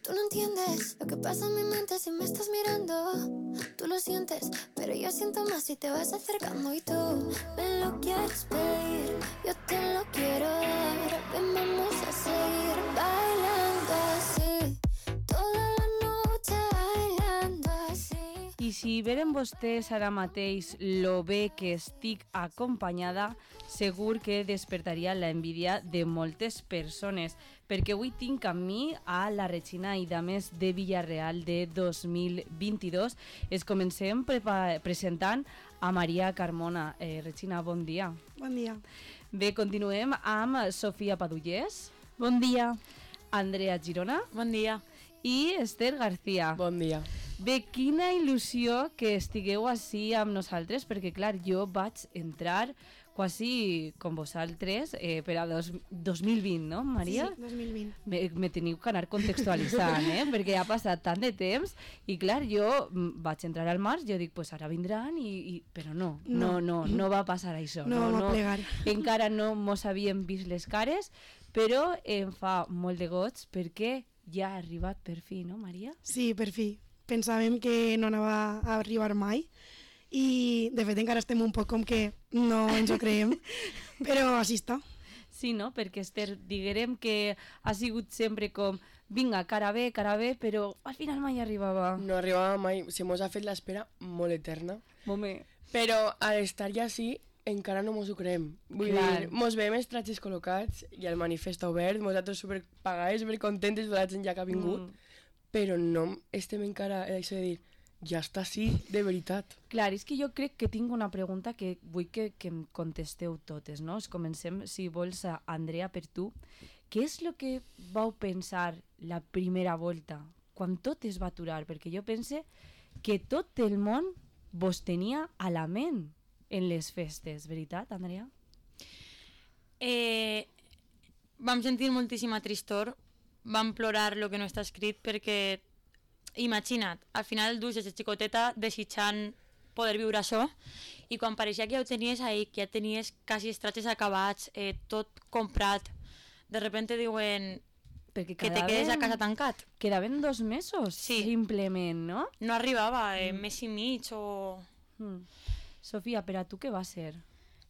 Tú no entiendes lo que pasa en mi mente si me estás mirando. Tú lo sientes, pero yo siento más si te vas acercando. Y tú me lo quieres pedir, yo te lo quiero dar. Ven, vamos a seguir bailando así, toda la noche bailando así. I si veren vostès ara mateix lo bé que estic acompanyada, segur que despertaria la envidia de moltes persones, perquè avui tinc amb mi a la Regina i Dames de Villarreal de 2022. Es comencem presentant a Maria Carmona. Regina, bon dia. Bon dia. Bé, continuem amb Sofia Padullés. Bon dia. Andrea Girona. Bon dia. I Esther García. Bon dia. Bé, quina il·lusió que estigueu així amb nosaltres, perquè clar, jo vaig entrar quasi com vosaltres per a 2020, no, Maria? Sí, 2020. Me teniu que anar contextualitzant, perquè ha passat tant de temps i clar, jo vaig entrar al març, jo dic, pues ara vindran, però no va passar això. No vam plegar. Encara no mos havíem vist les cares, però em fa molt de goig perquè ja ha arribat per fi, no, Maria? Sí, per fi. Pensàvem que no anava a arribar mai i de fet encara estem un poc com que no ens ho creiem, però així està. Sí, no? Perquè Esther, diguem que ha sigut sempre com vinga, cara bé, però al final mai arribava. No arribava mai, se mos ha fet l'espera molt eterna. Home. Però al estar ja així encara no mos ho creem. Vull dir, mos veiem els tratges col·locats i el manifest obert, nosaltres superpagades, supercontentes de la gent ja que ha vingut, però no estem encara això de dir, ja està així, de veritat. Clar, és que jo crec que tinc una pregunta que vull que em contesteu totes, no? Comencem, si vols, Andrea, per tu. Què és el que vau pensar la primera volta, quan tot es va aturar? Perquè jo pense que tot el món vos tenia a la ment en les festes, veritat, Andrea? Vam sentir moltíssima tristor, vam plorar lo que no està escrit perquè, imagina't, al final dus des de xicoteta desitjant poder viure això i quan pareixia que ja ho tenies ahí, que ja tenies quasi els tratges acabats, tot comprat, de repente diuen que te quedes a casa tancat. Quedaven 2 mesos, sí. Simplement, no? No arribava, mes i mig o... Sofia, per a tu què va ser?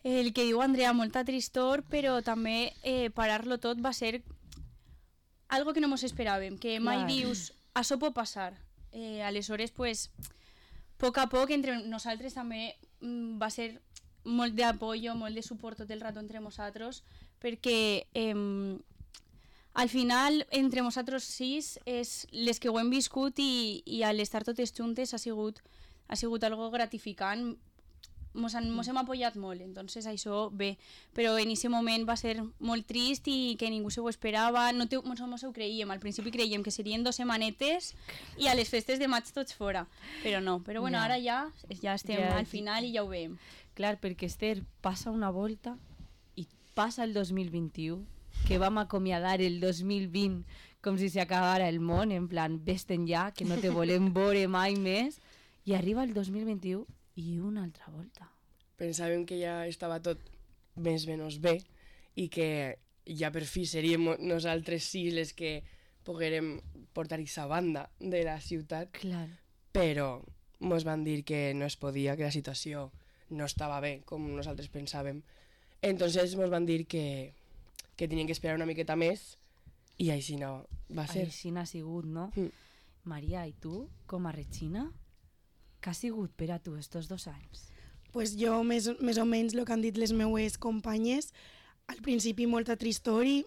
El que diu Andrea, molta tristor, però també parar-lo tot va ser algo que no mos esperàvem, que mai dius, això pot passar. Aleshores, pues, poc a poc, entre nosaltres també va ser molt d'apoyo, molt de suport tot el rato entre nosaltres, perquè al final, entre nosaltres 6, és les que ho hem viscut i a l'estar totes juntes ha sigut algo gratificant. Mos hem apoyat molt, entonces això bé, però en aquest moment va ser molt trist i que ningú se ho esperava, no ho creiem, al principi creiem que serien 2 setmanetes i a les festes de maig tots fora, però no, però bueno, ara ja estem al final i ja ho veiem. Clar, perquè Esther, passa una volta i passa el 2021, que vam acomiadar el 2020 com si s'acabara el món, en plan, vés-te'n ja, que no te volem veure mai més, i arriba el 2021 i una altra volta. Pensàvem que ja estava tot més o menys bé i que ja per fi seríem nosaltres 6 les que poguérem portar aquesta banda de la ciutat. Clar. Però mos van dir que no es podia, que la situació no estava bé com nosaltres pensàvem. Entonces mos van dir que tenien que esperar una miqueta més i així no va ser. Així n'ha sigut, no? Maria, i tu, com a Regina, què ha sigut per a tu estos 2 anys? Pues jo, més o menys, el que han dit les meues companyes, al principi molta tristor i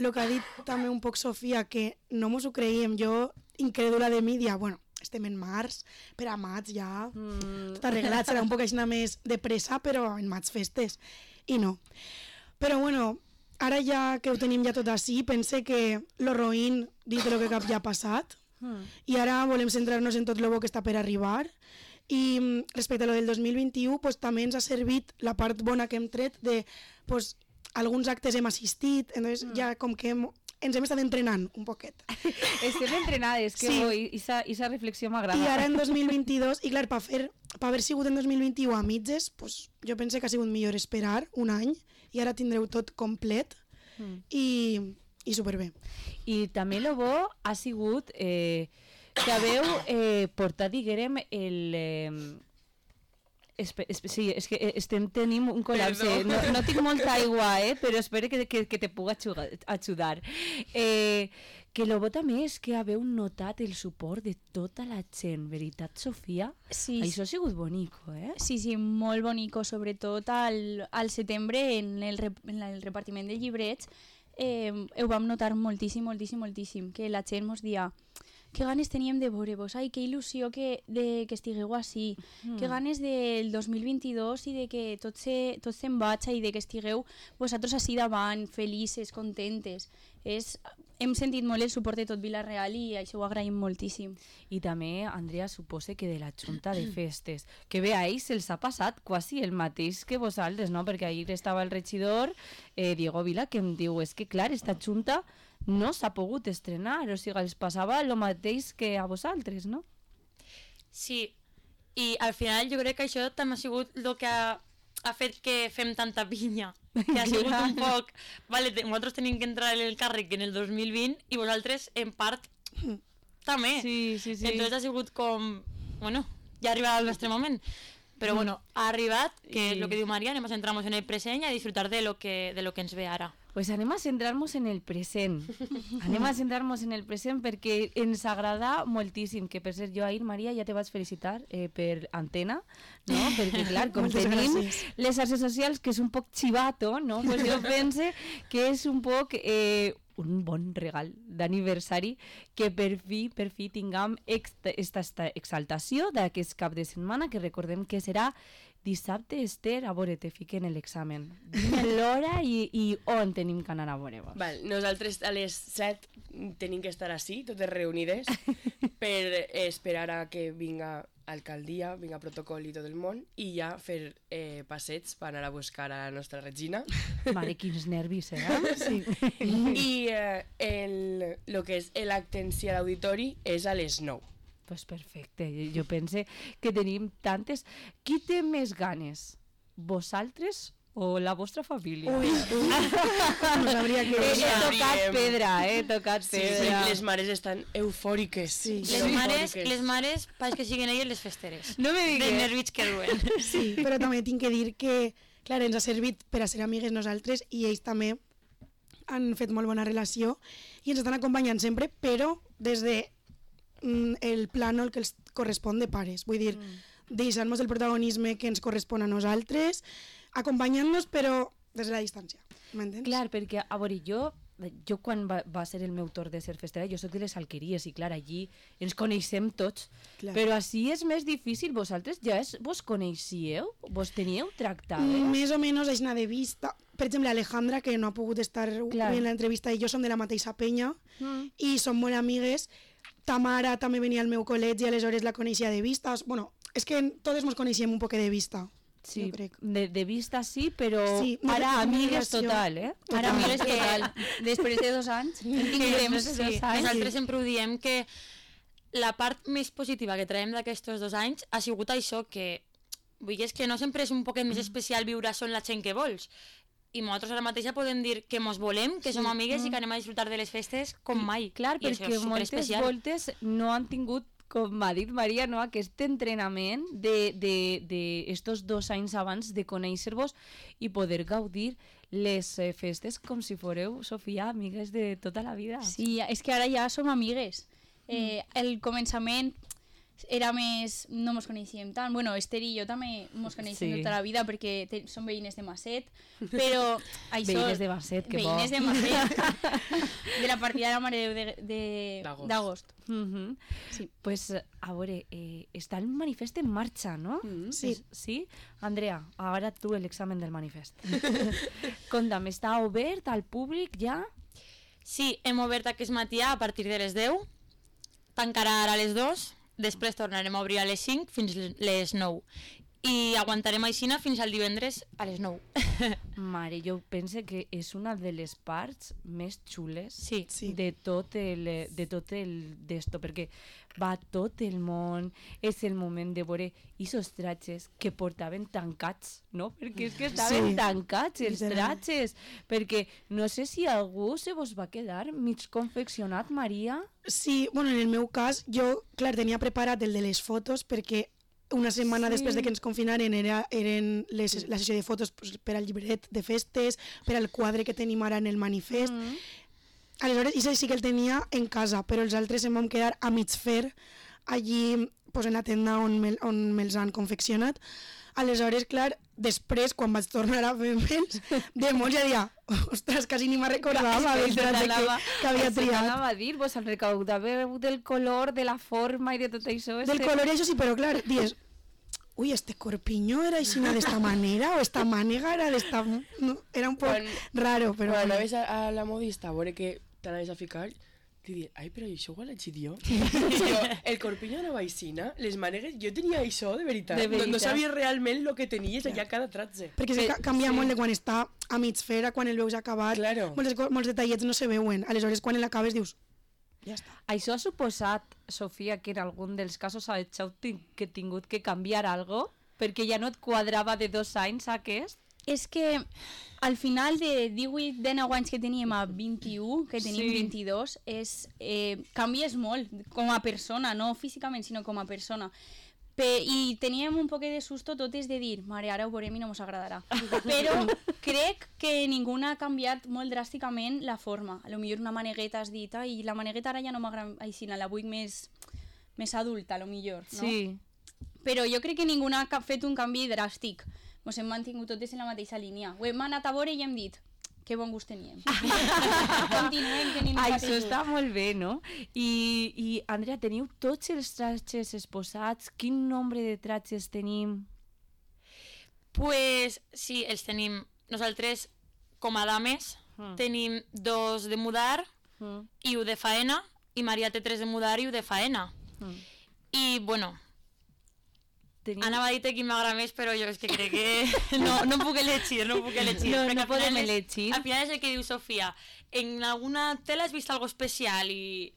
el que ha dit també un poc Sofia, que no mos ho creiem, jo, incrèdula de mi, dia, bueno, estem en març, per a maig ja, tot arreglat, serà un poc així més de pressa, però en maig festes, i no. Però bueno, ara ja que ho tenim ja tot així, pense que lo roïn dit de lo que cap ja ha passat, i ara volem centrar-nos en tot el bo que està per arribar i respecte a lo del 2021 pues, també ens ha servit la part bona que hem tret de pues, alguns actes hem assistit, entonces ja com que ens hem estat entrenant un poquet. Estem entrenades, que sí. Esa reflexió m'agrada. I ara en 2022, i clar, per haver sigut en 2021 a mitges, pues, jo pense que ha sigut millor esperar un any i ara tindreu tot complet i i superbé. I també el bo ha sigut que haveu portat, diguem, sí, és que tenim un col·lapse. No tinc molta aigua, però espero que te pugui ajudar. Que el bo també és que haveu notat el suport de tota la gent, veritat, Sofia? Sí. Això ha sigut bonico, Sí, molt bonico, sobretot al setembre en el repartiment de llibrets. Ho vam notar moltíssim, que la gent mos dia que ganes teníem de veure-vos, ai, que il·lusió que estigueu així, que ganes del 2022 i de que tot se'n vaig i de que estigueu vosaltres així davant, felices, contentes. Hem sentit molt el suport de tot Vila-real i això ho agraïm moltíssim. I també, Andrea, supose que de la Junta de Festes, que bé, a ells se'ls ha passat quasi el mateix que vosaltres, no? Perquè ahir estava el regidor, Diego Vila, que em diu, és que clar, esta Junta no s'ha pogut estrenar, o sigui, els passava el mateix que a vosaltres, no? Sí, i al final jo crec que això també ha sigut el que ha fet que fem tanta pinya, que ha sigut un poc... Vale, nosaltres tenim que entrar en el càrrec en el 2020 i vosaltres, en part, també. Sí. Entonces ha sigut com... Bueno, ja ha arribat el nostre moment. Però bueno, ha arribat, que és el que diu Maria, anem a centrar-nos en el present i a disfrutar de lo que ens ve ara. Pues anem a centrar-nos en el present. Anem a centrar-nos en el present perquè ens agrada moltíssim, que per cert, jo ahir, Maria, ja te vaig felicitar per antena, no? Perquè clar, com tenim les xarxes socials, que és un poc chivato, no? Pues jo pense que és un poc un bon regal d'aniversari que per fi tinguem esta exaltació d'aquest cap de setmana, que recordem que serà dissabte. Esther, a veure, te fiquen l'examen. Dime l'hora i on tenim que anar a veure-vos. Val, nosaltres a les 7 tenim que estar així, totes reunides, per esperar a que vinga alcaldia, vinga protocol i tot el món, i ja fer passeigs per anar a buscar a la nostra Regina. Vale, quins nervis, Sí. I el que és l'acte en si a l'auditori és a les 9. Pues perfecte, jo pense que tenim tantes... Qui té més ganes? Vosaltres o la vostra família? Ui. No sabria què dir. He tocat pedra, tocat pedra. Les mares estan eufòriques. Sí. Les mares pareix que siguin elles les festeres. No me digues. De nervis que duen. Sí, però també tinc que dir que, clar, ens ha servit per a ser amigues nosaltres i ells també han fet molt bona relació i ens estan acompanyant sempre, però des de el plànol que els correspon de pares. Vull dir, deixant-nos el protagonisme que ens correspon a nosaltres, acompanyant-nos però des de la distància. M'entens? Clar, perquè, a veure, jo quan va ser el meu torn de ser festera, jo soc de les Alqueries i clar, allí ens coneixem tots, clar. Però així és més difícil. Vosaltres ja vos coneixíeu? Vos teníeu tractades? Més o menys així de vista. Per exemple, Alejandra, que no ha pogut estar en l'entrevista, i jo som de la mateixa penya i som molt amigues. Tamara també venia al meu col·legi i aleshores la coneixia de vista. Bueno, és que totes ens coneixíem un poc de vista. Sí, de vista sí, però sí, ara amigues total, Ara amigues total. Després de 2 anys. Nosaltres sempre ho diem que la part més positiva que traiem d'aquests 2 anys ha sigut això, que vull dir, és que no sempre és un poquet més especial viure això en la gent que vols. I nosaltres ara mateixa podem dir que mos volem, que som amigues i que anem a disfrutar de les festes com mai. Clar, perquè moltes voltes no han tingut, com ha dit Maria, no, aquest entrenament d'estos 2 anys abans de conèixer-vos i poder gaudir les festes com si fóreu, Sofia, amigues de tota la vida. Sí, és que ara ja som amigues. El començament era més... no mos coneixíem tant. Bueno, Esther i jo també mos coneixem tota la vida perquè som veïnes de Masset, però... Veïnes de Masset, que bo. Veïnes de Masset. De la partida de la Mare de Déu d'agost. Sí. Pues, a veure, està el manifest en marxa, no? Sí. Sí? Andrea, ara tu l'examen del manifest. Conta'm, està obert al públic ja? Sí, hem obert aquest matí a partir de les 10, tancarà ara a les 2, després tornarem a obrir a les 5 fins les 9 i aguantarem aixina fins al divendres a les 9. Mare, jo penso que és una de les parts més xules Sí. de tot el d'esto, perquè va tot el món, és el moment de veure aquests tratges que portaven tancats, no? Perquè és que estaven tancats els tratges, perquè no sé si algú se vos va quedar mig confeccionat, Maria. Sí, bueno, en el meu cas, jo, clar, tenia preparat el de les fotos perquè una setmana després de que ens confinaren eren la sessió de fotos per al llibret de festes, per al quadre que tenim ara en el manifest. Aleshores, això sí que el tenia en casa, però els altres em vam quedar a mig fer allí en la tenda on me'ls han confeccionat. Aleshores, clar, després, quan vaig tornar a fer me'ls, de molts ja dia, ostres, quasi ni me'n recordava del tratge que havia triat. Anava a dir, vos el recaudàveu del color, de la forma i de tot això. Del color i això sí, però clar, dius, uy, este corpiño era així d'esta manera, o esta mànega era d'esta... No, era un poc raro, però... Quan anaves a la modista a veure que t'anaves a ficar, te diuen, ai, però això ho l'he hecho jo. El corpiño anava aixina, les mànegues, jo tenia això de veritat. No sabia realment el que tenies allà cada tratge. Perquè canvia molt de quan està a mig fer a quan el veus acabat. Claro. Molts detallets no se veuen. Aleshores, quan l'acabes dius, ja està. Això ha suposat, Sofia, que en algun dels casos heu tingut que canviar algo perquè ja no et quadrava de 2 anys aquest? És que al final de 18-19 anys que teníem a 21, que tenim 22, canvies molt com a persona, no físicament, sinó com a persona. I teníem un poc de susto totes de dir, mare, ara ho veurem i no ens agradarà. Però crec que ningú ha canviat molt dràsticament la forma. A lo millor una manegueta has dit, i la manegueta ara ja no m'agrada així, la vull més adulta, a lo millor, no? Sí. Però jo crec que ningú ha fet un canvi dràstic. Ens hem mantingut totes en la mateixa línia. Ho hem anat a veure i hem dit, que bon gust teníem. Continuem tenint el mateix Això gust. està molt bé, no? I Andrea, teniu tots els tratges exposats? Quin nombre de tratges tenim? Pues sí, els tenim. Nosaltres, com a dames, tenim 2 de mudar i 1 de faena, i Maria té 3 de mudar i 1 de faena. I, bueno, anava a dir que m'agrada més, però jo és que crec que no puc elegir, No podem elegir. Al final és el que diu Sofia. En alguna tela has vist algo especial i...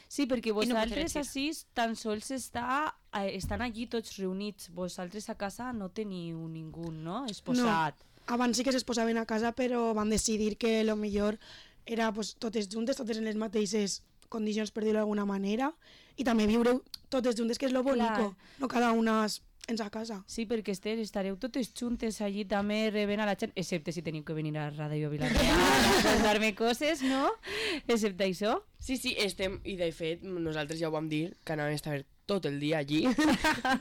Sí, perquè no pots vosaltres elegir. així tan sols estan allí tots reunits. Vosaltres a casa no teniu ningú, no? Exposat. Abans sí que s'exposaven a casa, però van decidir que lo millor era pues, totes juntes, totes en les mateixes condicions, per dir-ho d'alguna manera, i també viure totes juntes, que és lo bonico, no cada una en sa casa. Sí, perquè estareu totes juntes allí també rebent a la gent, excepte si teniu que venir a Ràdio Vilareal a contar-me coses, no? Excepte això. Sí, estem, i de fet, nosaltres ja ho vam dir, que anàvem a estar tot el dia allí,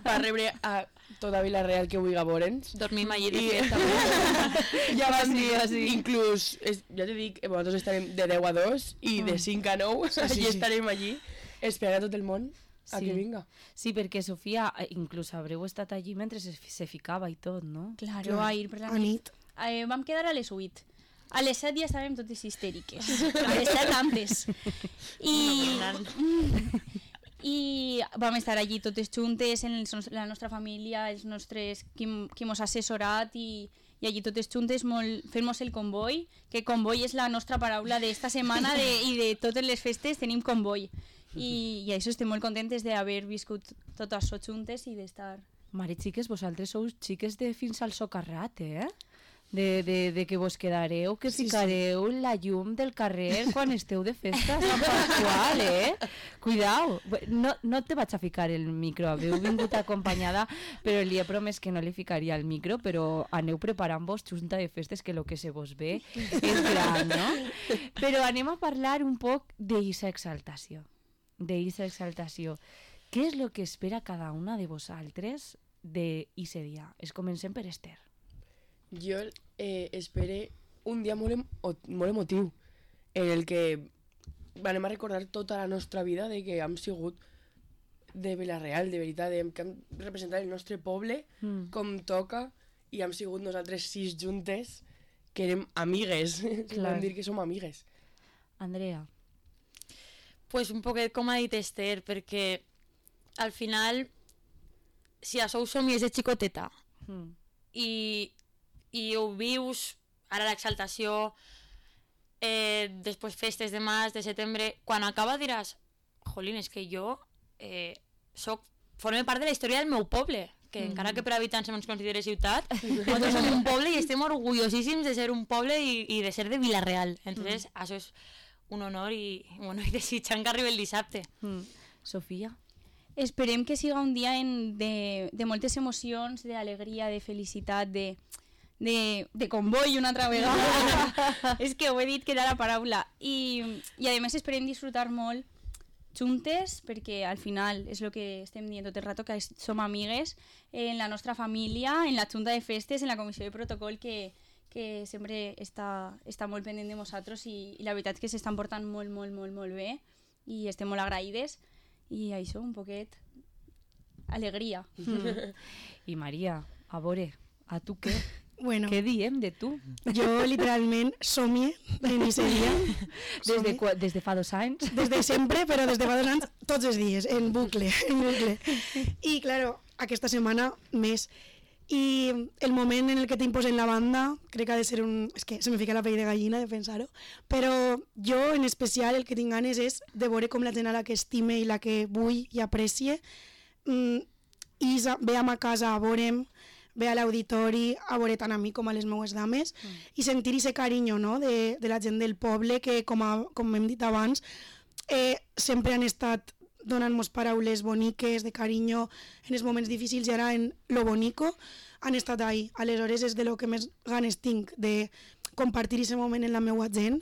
per rebre a tota Vilareal que vulgui veure'ns. Dormim allí de fet, també. Ja vam dir, inclús, ja te dic, nosaltres estarem de 10 a 2 i de 5 a 9, allí estarem allí, esperant a tot el món a que vinga. Sí, perquè Sofia, inclús haureu estat allí mentre se ficava i tot, no? Claro, a ir per la A nit. Vam quedar a les 8. A les 7 ja estàvem totes histèriques. A les 7 antes. I vam estar allí totes juntes, la nostra família, els nostres, qui mos ha assessorat i allí totes juntes fem-nos el comboi, que comboi és la nostra paraula d'esta setmana i de totes les festes tenim comboi. I això estem molt contentes d'haver viscut tot això juntes i d'estar... Mare, xiques, vosaltres sou xiques de fins al socarrat, eh? De que vos quedareu, que ficareu la llum del carrer quan esteu de festa a Sant Pasqual, eh? Cuidao, no te vaig a ficar el micro, haveu vingut acompanyada, però li he promès que no li ficaria el micro, però aneu preparant-vos junta de festes, que el que se vos ve és gran, no? Però anem a parlar un poc d'eixa exaltació. Què és el que espera cada una de vosaltres d'eixe dia? Comencem per Esther. Jo espero un dia molt emotiu en el que anem a recordar tota la nostra vida de que hem sigut de Vilareal, de veritat, que hem representat el nostre poble com toca i hem sigut nosaltres 6 juntes que érem amigues, vam dir que som amigues. Andrea. Pues un poquet com ha dit Esther, perquè al final, si a sou somies de xicoteta i ho vius ara l'exaltació, després festes de març, de setembre, quan acaba diràs, jolín, és que jo forme part de la història del meu poble, que encara que per habitants no ens considere ciutat, nosaltres som un poble i estem orgullosíssims de ser un poble i de ser de Vila-real. Entonces, això és un honor i desitjant que arribi el dissabte. Sofia? Esperem que siga un dia de moltes emocions, d'alegria, de felicitat, de comboi una altra vegada. És que ho he dit que era la paraula. I a més esperem disfrutar molt juntes, perquè al final és el que estem dient tot el rato, que som amigues en la nostra família, en la junta de festes, en la comissió de protocol, que sempre està molt pendent de nosaltres i la veritat és que s'estan portant molt, molt, molt, molt bé i estem molt agraïdes i això, un poquet alegria. I Maria, a veure, a tu què? Bueno, Què diem de tu? jo literalment somie en aquest dia. Des de fa 2 anys? Des de sempre, però des de fa 2 anys, tots els dies, en bucle, en bucle. I, claro, aquesta setmana més. I el moment en el que t'imposen la banda, crec que ha de ser un... És que se me fica la pell de gallina de pensar-ho, però jo, en especial, el que tinc ganes és de veure com la gent a la que estime i la que vull i aprecie, i ve a casa a veure'm, ve a l'auditori a veure tant a mi com a les meues dames i sentir aquest carinyo, no? de la gent del poble que, com hem dit abans, sempre han estat donant-nos paraules boniques, de carinyo en els moments difícils i ara en lo bonico han estat ahí. Aleshores és de lo que més ganes tinc, de compartir aquest moment en la meua gent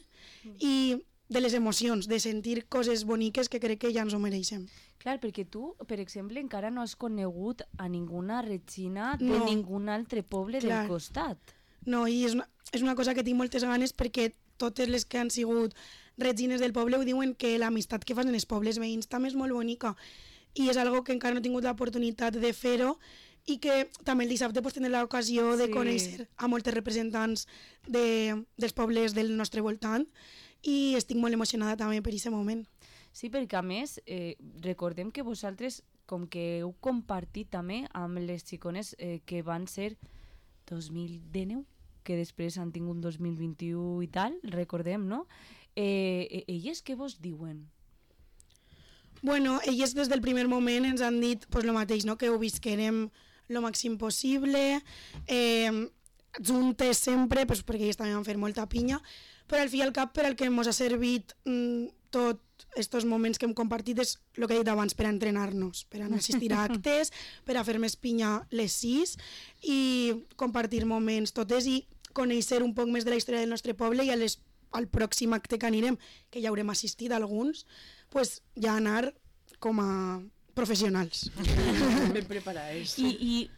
i de les emocions, de sentir coses boniques que crec que ja ens ho mereixem. Clar, perquè tu, per exemple, encara no has conegut a ninguna Regina de No. ningun altre poble Clar. del costat. No, i és una cosa que tinc moltes ganes perquè totes les que han sigut regines del poble ho diuen que l'amistat que fan en els pobles veïns també és molt bonica i és algo que encara no he tingut l'oportunitat de fer-ho i que també el dissabte pues, tindré l'ocasió de conèixer a moltes representants dels pobles del nostre voltant i estic molt emocionada també per aquest moment. Sí, perquè a més, recordem que vosaltres, com que heu compartit també amb les xicones que van ser 2019, que després han tingut 2021 i tal, recordem, no? Elles què vos diuen? Bueno, elles des del primer moment ens han dit pues, lo mateix, no? Que ho visquerem lo màxim possible, juntes sempre, pues, perquè elles també van fer molta pinya, però al fi i al cap per al que ens ha servit tots estos moments que hem compartit és el que he dit abans, per a entrenar-nos, per a no assistir a actes, per a fer més pinya les 6 i compartir moments totes i conèixer un poc més de la història del nostre poble i al pròxim acte que anirem, que ja haurem assistit a alguns, pues, ja anar com a professionals. Ben preparades. I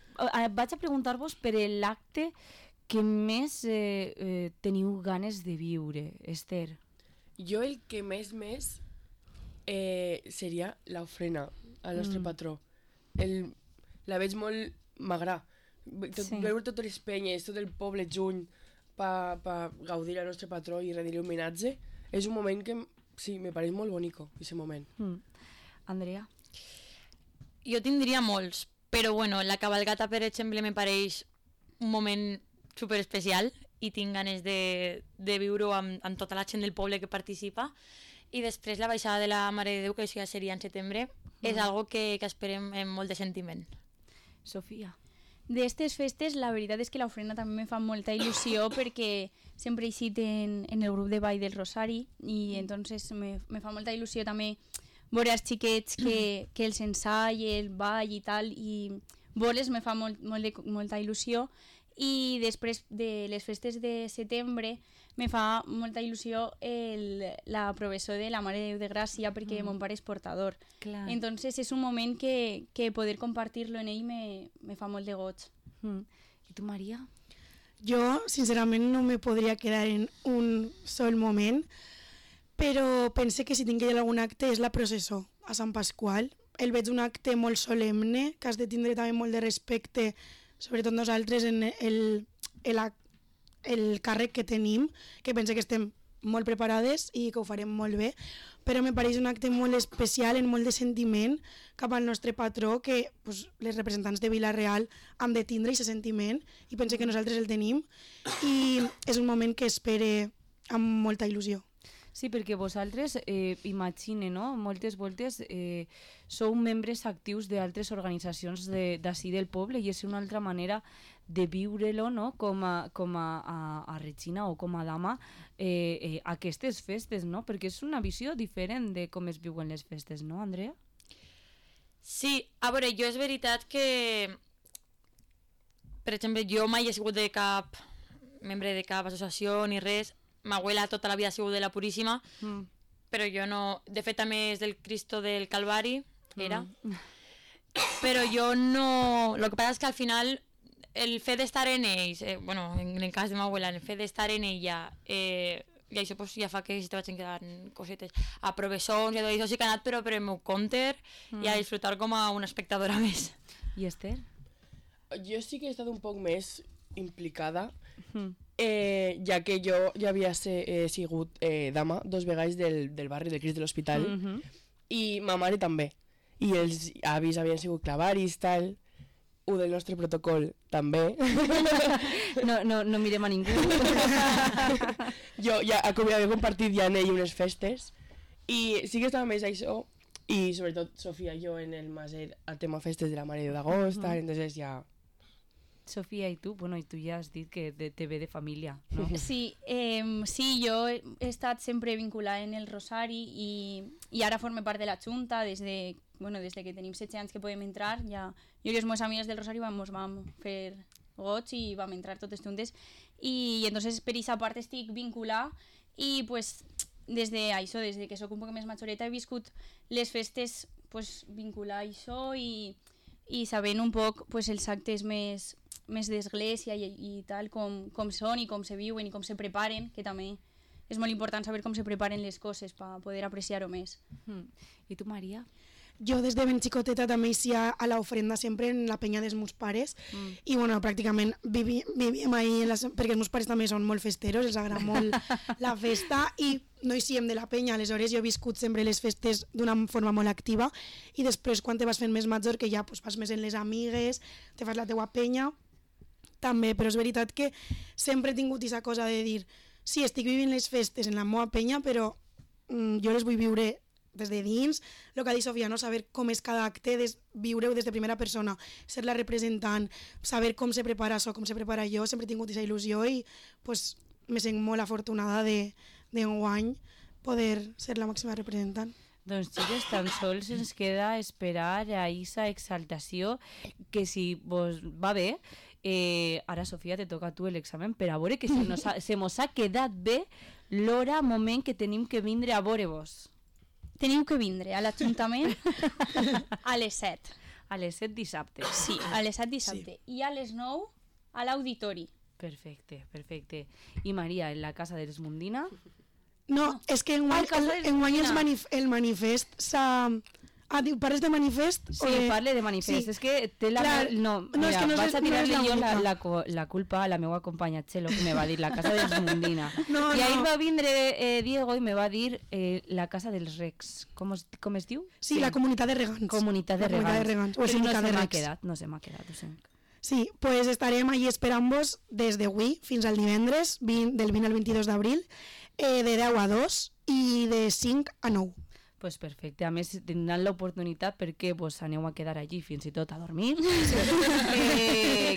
vaig a preguntar-vos per l'acte que més teniu ganes de viure, Esther. Jo el que més seria l'ofrena al nostre patró. La veig molt magra. Veure totes les penyes, tot el poble junt per gaudir del nostre patró i rendir-li homenatge, és un moment que sí, me pareix molt bonico, aquest moment. Andrea? Jo tindria molts, però bueno, la cabalgata, per exemple, me pareix un moment superespecial i tinc ganes de viure-ho amb tota la gent del poble que participa. I després la baixada de la Mare de Déu, que això ja seria en setembre, és algo que esperem amb molt de sentiment. Sofia? D'estes festes, la veritat és que l'ofrena també me fa molta il·lusió perquè sempre he eixit en el grup de ball del Rosari i entonces me fa molta il·lusió també veure els xiquets que els ensai, el ball i tal, i veure-les me fa molta il·lusió. I després de les festes de setembre me fa molta il·lusió la professó de la Mare de Déu de Gràcia perquè mon pare és portador. Clar. Entonces és un moment que poder compartir-lo en ell me fa molt de goig. I tu, Maria? Jo, sincerament, no me podria quedar en un sol moment, però pense que si tinc que ir a algun acte és la processó a Sant Pasqual. El veig un acte molt solemne, que has de tindre també molt de respecte, sobretot nosaltres, en el càrrec que tenim, que pense que estem molt preparades i que ho farem molt bé, però me pareix un acte molt especial, en molt de sentiment cap al nostre patró, que pues, les representants de Vila-real han de tindre aquest sentiment i pense que nosaltres el tenim i és un moment que espere amb molta il·lusió. Sí, perquè vosaltres, imagine, no? Moltes voltes sou membres actius d'altres organitzacions d'ací del poble i és una altra manera de viure-lo, no? com a Regina o com a dama aquestes festes, no? Perquè és una visió diferent de com es viuen les festes, no, Andrea? Sí, a veure, jo és veritat que, per exemple, jo mai he sigut de cap membre de cap associació ni res. Ma abuela tota la vida ha sigut de la Puríssima, però jo no... De fet, també és del Cristo del Calvari, era. Però jo no... Lo que passa és que al final el fet d'estar en ells, bueno, en el cas de ma abuela, el fet d'estar en ella, i això pues, ja fa que si te vaig quedant cosetes a professors i tot això, sí que he anat però per el meu compte i a disfrutar com a una espectadora més. I Esther? Jo sí que he estat un poc més implicada, ja que jo ja havia sigut dama 2 vegades del barri del Crist de l'Hospital i ma mare també, i els avis havien sigut clavaris, tal, un del nostre protocol també. No mirem a ningú. Jo ja havia compartit ja en ell unes festes i sí que estava més això i sobretot Sofia i jo en el Maser al tema festes de la Mare d'Agost, tal, entonces ja... Sofia, i tu? Bueno, i tu ja has dit que te ve de família, no? Sí, sí, jo he estat sempre vinculada en el Rosari i ara forme part de la Junta des que tenim 16 anys que podem entrar. Ja, jo i les meves amigues del Rosari vam fer goig i vam entrar totes juntes i entonces per aquesta part estic vinculada i pues, des que soc un poc més majoreta he viscut les festes pues, vinculada a això i sabent un poc pues, els actes més d'església i tal, com són i com se viuen i com se preparen, que també és molt important saber com se preparen les coses per poder apreciar-ho més. I tu, Maria? Jo des de ben xicoteta també hi a l'ofrenda sempre en la penya dels meus pares i bueno, pràcticament vivíem ahí perquè els meus pares també són molt festeros, els agrada molt la festa i no hi siem de la penya, aleshores jo he viscut sempre les festes d'una forma molt activa i després quan te vas fent més major que ja pues, vas més en les amigues, te fas la teua penya també, però és veritat que sempre he tingut aquesta cosa de dir sí, estic vivint les festes en la meva penya però jo les vull viure des de dins, el que ha dit Sofia, no? Saber com és cada acte, viure-ho des de primera persona, ser la representant, saber com se prepara això, com se prepara jo, sempre he tingut aquesta il·lusió i pues, me sent molt afortunada d'enguany poder ser la màxima representant. Doncs xiques, tan sols ens queda esperar a aquesta exaltació que si vos va bé, ara Sofia te toca a tu l'examen per a veure que se mos ha quedat bé l'hora, moment que tenim que vindre a veure-vos. Teniu que vindre a l'Ajuntament a les 7. A les 7 dissabte. Sí, a les 7 dissabte. Sí. I a les 9 a l'auditori. Perfecte, perfecte. I Maria, en la Casa de l'Esmundina? No, és que enguany el manifest s'ha... Ah, parles de manifest? Sí, parle de manifest. Sí. És que té la... Clar, no, mira, és que no vaig a tirar-li jo la culpa a la meva companya Txelo, que me va dir la Casa de l'Esmundina. No, I ahir va vindre Diego i me va dir la Casa dels Recs. Com es diu? Sí, la Comunitat de Regants. Comunitat de Regants. O no se m'ha quedat, no se m'ha quedat. Sí, pues estarem allí esperant-vos des d'avui fins al divendres, del 20 al 22 d'abril, de 10 a 2 i de 5 a 9. Pues perfecte, a més tindran l'oportunitat perquè vos aneu a quedar allí fins i tot a dormir,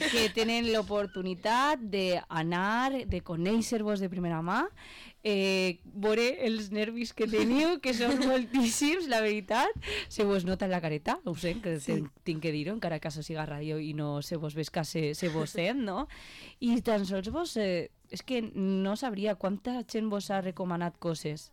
que tenen l'oportunitat d'anar, de conèixer-vos de primera mà, veure els nervis que teniu, que són moltíssims, la veritat, se vos nota en la careta, ho sé, que tinc que dir-ho, encara que això siga ràdio i no se vos ves que se vos sent, no? I tan sols vos, és que no sabria quanta gent vos ha recomanat coses.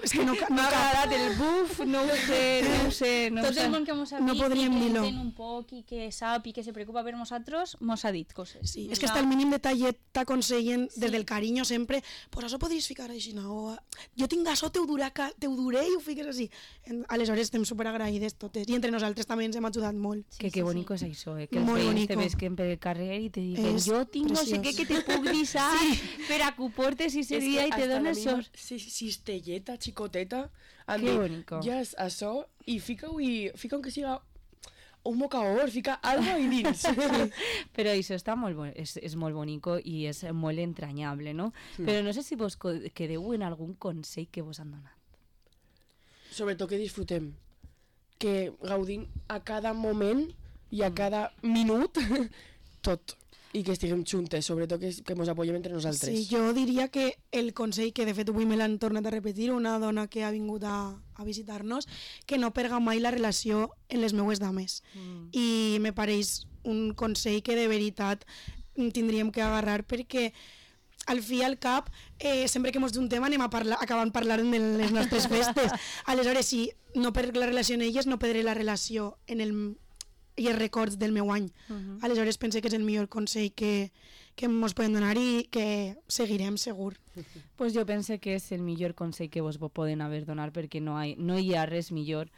És que no M'ha agradat el buf, no ho sé. Tot el món que mos ha no vist podríem i que dir-lo. entén un poc i que sap i que se preocupa per nosaltres, mos ha dit coses. Sí, és que hasta el mínim detallet t'aconsellen des del carinyo sempre, pues això podries ficar així, no? Jo tinc això, te ho duré i ho fiques així. Aleshores estem superagraïdes totes i entre nosaltres també ens hem ajudat molt. Que bonico és això, que els Molt veïns bonico. te vesquen per el carrer i te diuen És jo tinc no sé què preciós. que te puc deixar per a que ho portes i ese dia i te dones sort. Cistelleta, xicoteta, han Que dit, bonico. ja és això, i fica que siga un mocaor, fica algo ahí dins. Però això està és molt bonico i és molt entranyable, no? Però no sé si vos quedeu en algun consell que vos han donat. Sobretot que disfrutem, que gaudim a cada moment i a cada minut tot, i que estiguem juntes, sobretot que ens apoyem entre nosaltres. Sí, jo diria que el consell, que de fet avui me l'han tornat a repetir, una dona que ha vingut a visitar-nos, que no perga mai la relació en les meues dames. I me pareix un consell que de veritat tindríem que agarrar, perquè al fi i al cap, sempre que ens juntem anem acabant parlant de les nostres festes. Aleshores, si no perc la relació en elles, no perdré la relació en i els records del meu any. Aleshores pense que és el millor consell que ens podem donar i que seguirem segur. Pues jo pense que és el millor consell que vos poden haver donat, perquè no hi ha res millor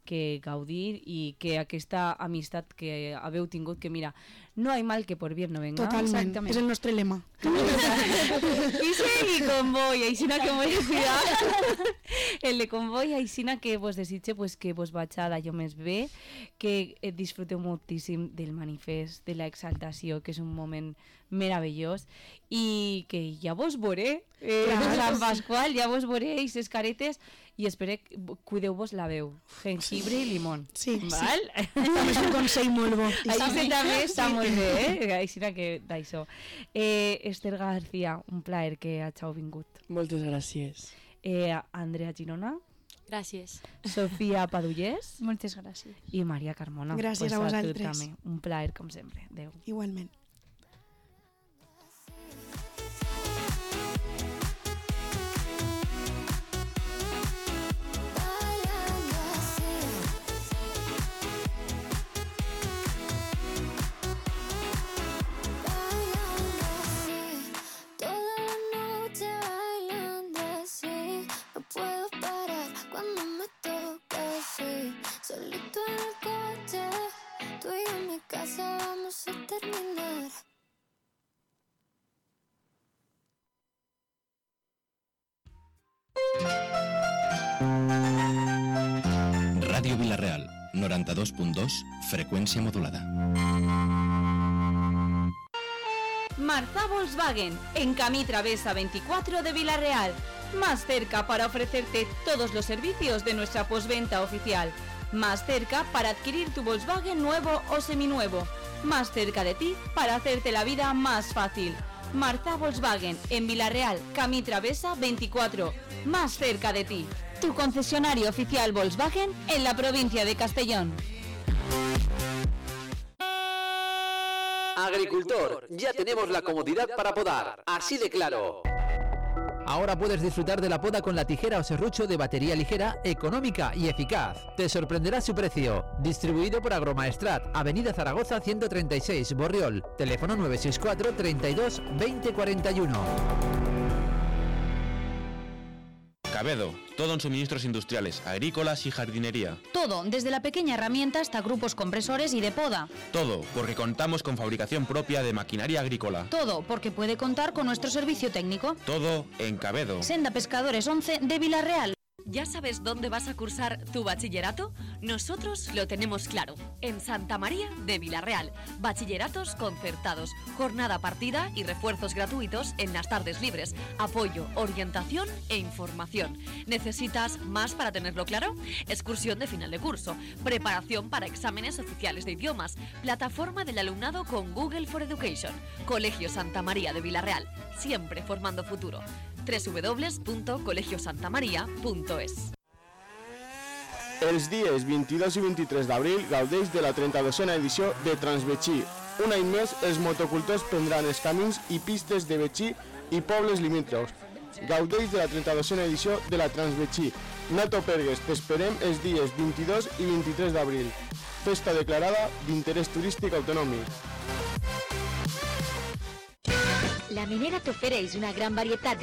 que gaudir i que aquesta amistat que haveu tingut, que mira, no hay mal que por bien no venga. Totalment, és el nostre lema. I seguir convoy, aixina que m'ho he cuidat. El de convoy, aixina que vos desitge pues, que vos vaig a d'allò més bé, que disfruteu moltíssim del manifest, de la exaltació, que és un moment meravellós, i que ja vos veuré, Sant Pasqual, ja vos veuré, i ses caretes, i espero que cuideu-vos la veu, jengibre i limón. Sí, val? sí. També és un consell molt bo. Així també està molt bé, Així que d'això. Esther García, un plaer que hàgiu vingut. Moltes gràcies. Andrea Girona. Gràcies. Sofia Padullés. Moltes gràcies. I Maria Carmona. Gràcies a vosaltres. També. Un plaer, com sempre. Adéu. Igualment. Solito en el coche, tú y yo en mi casa vamos a terminar. Ràdio Vila-real, 92.2, freqüència modulada. Marza Volkswagen, en Camí Travesa 24 de Vila-real. Más cerca para ofrecerte todos los servicios de nuestra postventa oficial. Más cerca para adquirir tu Volkswagen nuevo o seminuevo. Más cerca de ti para hacerte la vida más fácil. Marza Volkswagen, en Vila-real, Camí Travesa 24. Más cerca de ti. Tu concesionario oficial Volkswagen en la provincia de Castellón. Agricultor, ya tenemos la comodidad para podar, así de claro. Ahora puedes disfrutar de la poda con la tijera o serrucho de batería ligera, económica y eficaz. Te sorprenderá su precio. Distribuido por Agromaestrat, Avenida Zaragoza 136, Borriol. Teléfono 964 32 20 41. Cabedo, todo en suministros industriales, agrícolas y jardinería. Todo, desde la pequeña herramienta hasta grupos compresores y de poda. Todo, porque contamos con fabricación propia de maquinaria agrícola. Todo, porque puede contar con nuestro servicio técnico. Todo en Cabedo. Senda Pescadores 11 de Vila-real. ¿Ya sabes dónde vas a cursar tu bachillerato? Nosotros lo tenemos claro, en Santa María de Vila-real. Bachilleratos concertados, jornada partida y refuerzos gratuitos en las tardes libres, apoyo, orientación e información. ¿Necesitas más para tenerlo claro? Excursión de final de curso, preparación para exámenes oficiales de idiomas, plataforma del alumnado con Google for Education. Colegio Santa María de Vila-real, siempre formando futuro. www.colegiosantamaria.es. Els dies 22 i 23 d'abril gaudeix de la 32a edició de Transbetxí. Un any més, els motocultors prendran els camins i pistes de Betxí i pobles limítrofs. Gaudeix de la 32a edició de la Transbetxí. No t'ho pergues, t'esperem els dies 22 i 23 d'abril. Festa declarada d'interès turístic autonòmic. La Minera t'ofereix una gran varietat de